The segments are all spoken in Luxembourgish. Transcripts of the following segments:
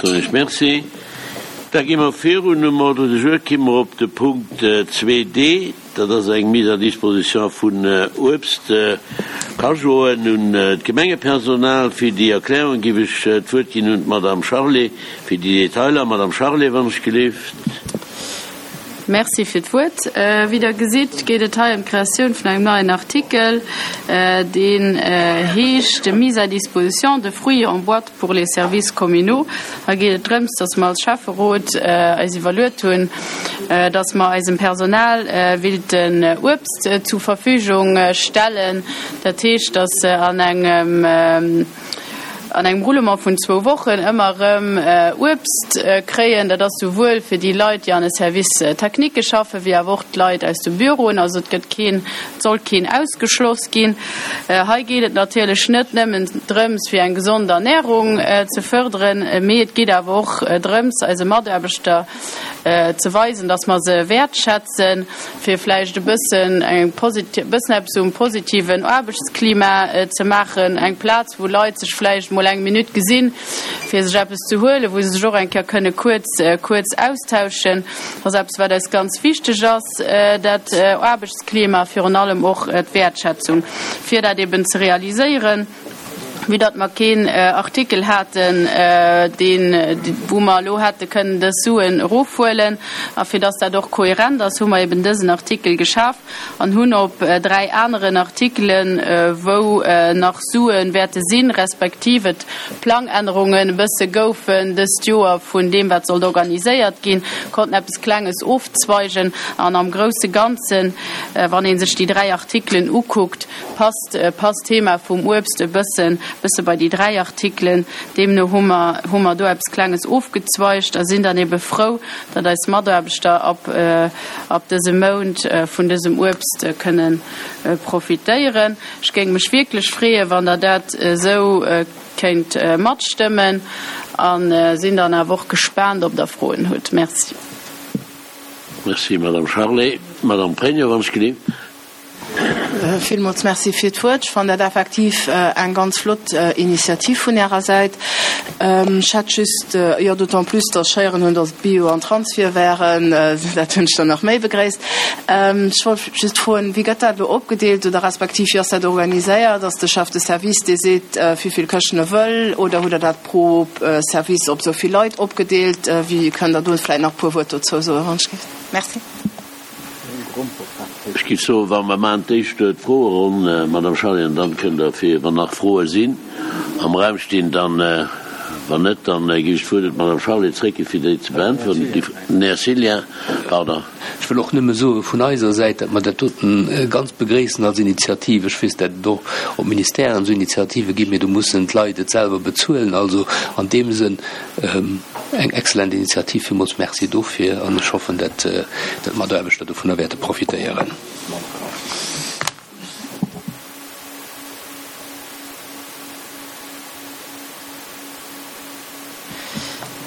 Soen ech Merci. Da gi mer virun um Ordre du jour, ki mer op de Punkt 2d. Dat ass eng Mise à disposition vun Uebst, Cajoen un d'Gemengepersonal. Fir déi Erklärung géif ech d'Wuert ginn un d'Madame Charlé fir déi Detailer. Madame Charlé, wann ech gelift. Merci fir d'Wuert. Wéi Der gesitt, geet et hei ëm d'Kreatioun vun engem neien Artikel, deen heescht Mise à disposition de fruits en boîte pour les services communaux. Hei geet et drëms, dass mer als Schäfferot eis iwwerluet hunn, dass mer eisem Personal willten Uebst zu Verfügung stellen. Dat heescht, dass an engem an engem Roulement vun zwou Wochen ëmmer erëm Uebst kréien. Dat ass souwuel fir déi Leit, déi an de Services techniques schaffen, wéi awer och d'Leit aus de Büroen. Also et gëtt keen, et soll keen ausgeschloss ginn. Hei geet et natierlech net nëmmen drëms, fir eng gesond Ernährung ze fërderen, mee et geet awer och drëms, eise Mataarbechter ze weisen, dass mer se wäertschätzen, fir vläicht e bëssen eng posit-, e bëssen eppes um positiven Aarbechtsklima ze maachen, eng Plaz, wou Leit sech vläicht mol eng Minutt gesinn, fir sech eppes ze huelen, wou se sech och eng Kéier kënne kuerz, kuerz austauschen. Dat ass eppes, wat eis ganz wichteg ass, dat Aarbechtsklima, virun allem och d'Wäertschätzung, fir dat eben ze realiséieren. Vue datt mer keen Artikel haten, deen, wou mer elo hätte kënnen dës Suen erofhuelen, a fir datt dat och kohärent ass, hu mer eben dësen Artikel geschaf an hunn op 3 aneren Artikelen, wou nach Sue wäerte sinn, respektiv et Plangännerungen e bësse goufen dëst Joer vun deem, wat sollt organiséiert ginn, konnten eppes Klenges ofzweigen. An am grousse Ganzen, wann ee sech déi 3 Artikelen ukuckt, Passt passt d'Thema vum Uebst e bëssen bësse bei déi 3 Artikelen. Deemno hu mer hu mer do eppes Klenges ofgezweigt a sinn dann ebe frou, datt eis Mataarbechter ab ab dësem Mount vun dësem Uebst kënne profitéieren. Ech géing mech wierklech freeën, wann Der dat esou kéint matstëmmen a sinn dann awer och gespaant, ob Der Froen hutt. Merci. Merci, Madame Charlé. Madame Pregno, wann ech gelift. Villmools Merci fir d'Wuert. Ech fannen dat effektiv eng ganz flott Initiativ vun Ärer Säit. Ech hätt just, jo, d'autant plus, dass ech héieren hunn, dass et Bio an Transvier wären, dat hunn ech dann nach méi begréisst. Ech wollt just froen, Wéi gëtt dat elo opgedeelt oder respektiv wéi ass dat organiséiert? Ass de Chef de service, dee seet, wéi vill Këschten e wëll, oder hutt Der dat pro Service op esou vill Leit opgedeelt? Wéi, kënnt Der do vläicht nach e puer Wuert dozou soen, wann ech géif? Merci. Ech géif soen, wa mer maachen d'éischt d'Froeronn, Madame Charlé, an dann kënnt Der fir, wann nach Froe sinn, am Raum stinn, dann, wann net, dann géif ech d'Wuert un d'Madame Charlé zréckginn, fir déi ze beäntweren. Den Här Cillien, pardon. Ech wëll och nëmme soe vun eiser Säit, datt mer dat doten ganz begréissen als Initiativ. Ech weess, datt et och op Ministèren esou Initiative ginn, mee do mussen d'Leit et selwer bezuelen. Also an deem Sënn, Eng excellent Initiativ, villmools Merci dofir an ech hoffen, dat d'Mataarbechter dovunner wäerte profitéieren.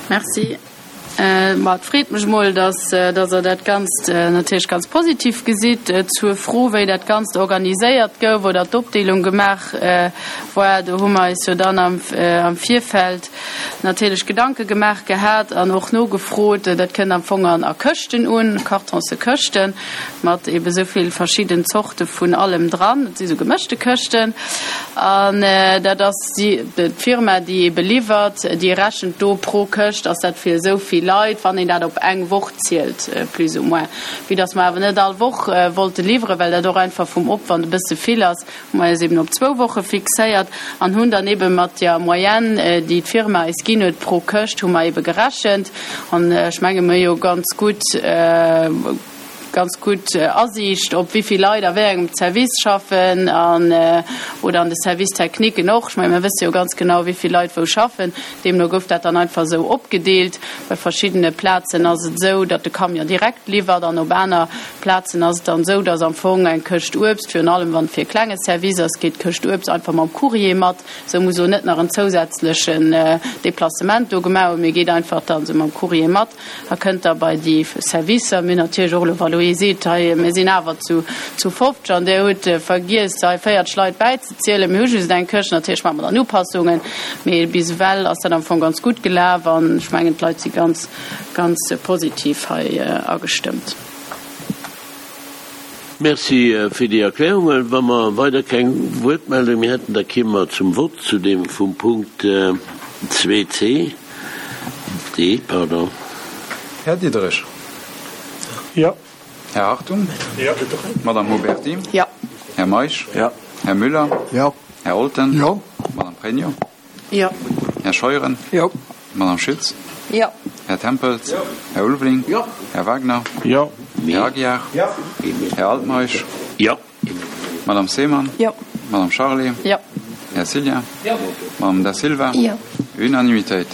Merci. Ma et freet mech mol, dass Der dat Ganzt natierlech ganz positiv gesitt. Zur Fro, wéi dat Ganzt organiséiert gouf oder d'Opdeelung gemaach war, do hu mer eis jo dann am Virfeld natierlech Gedanke gemaach gehat an och nogefrot. Dat kënnt am Fong an a Këschten un, Kartonse Këschten mat ebe sou vill verschidden Zorte vun allem dran. Dat si sou gemëschte Këschten an dat ass si d'Firma, déi ebe liwwert, déi rechent do pro Këscht ass dat fir esou vill Leit, wann een dat op eng Woch zielt plus ou moins. Vue dass mer awer net all Woch wollte liwweren, well dat och einfach vum Opwand e bësse vill ass, hu mer eis eben op zwou Woche fixéiert an hunn dann ebe mat der Moyenne, déi d'Firma eis ginn huet pro Këscht, hu mer ebe gerechent. An ech menge mer hu jo ganz gutt, ganz gutt Asiicht op wéi vill Leit a wéi engem Service schaffen an, oder an de Services techniquen och. Ech menge mer wësse jo ganz genau, wéi vill Leit wou schaffen. Deemno gouf dat dann einfach esou opgedeelt. Bei verschiddene Plazen ass et esou, datt de Camion direkt liwwert an op aner Plazen ass et dann esou, datt am Fong eng Këscht Uebst, virun allem wann et fir e klenge Service ass, geet d'Këscht Uebst einfach mam Courrier mat. Sou muss och net nach en zousätzlechen Deplacement do gemaach hunn, mee geet einfach dann esou mam Courrier mat a kënnt da bei déi Servicer. Mir hunn natierlech och elo, wa lo ee seet, hei mir sinn awer zu zu 50 an där hutt vergiess hei 40 Leit bäizezielen, mir hu just eng Këscht, natierlech maache mer dann Upassungen, mee bis ewell ass dat am Fong ganz gutt gelaf an ech mengen d'Leit si ganz, ganz positiv hei agestëmmt. Merci fir déi Erklärungen. Wa mer weider keng Wuertmeldung méi hätten, da kéime mer zum Vott zu deem vum Punkt 2c, D, pardon. Här Diderich. Jo. Här Hartung. Jo. Madame Huberty. Jo. Här Meisch. Jo. Här Müller. Jo. Här Olten. Jo. Madame Pregno. Jo. Här Scheuren. Jo. Madame Schütz. Jo. Här Tempels. Jo. Här Ulveling. Jo. Här Wagner. Jo. Här Aguiar. Jo. Här Altmeisch. Jo. Madame Seemann. Jo. Madame Charlé. Jo. Här Cillien. Jo. Madame Da Silva. Jo. Unanimitéit.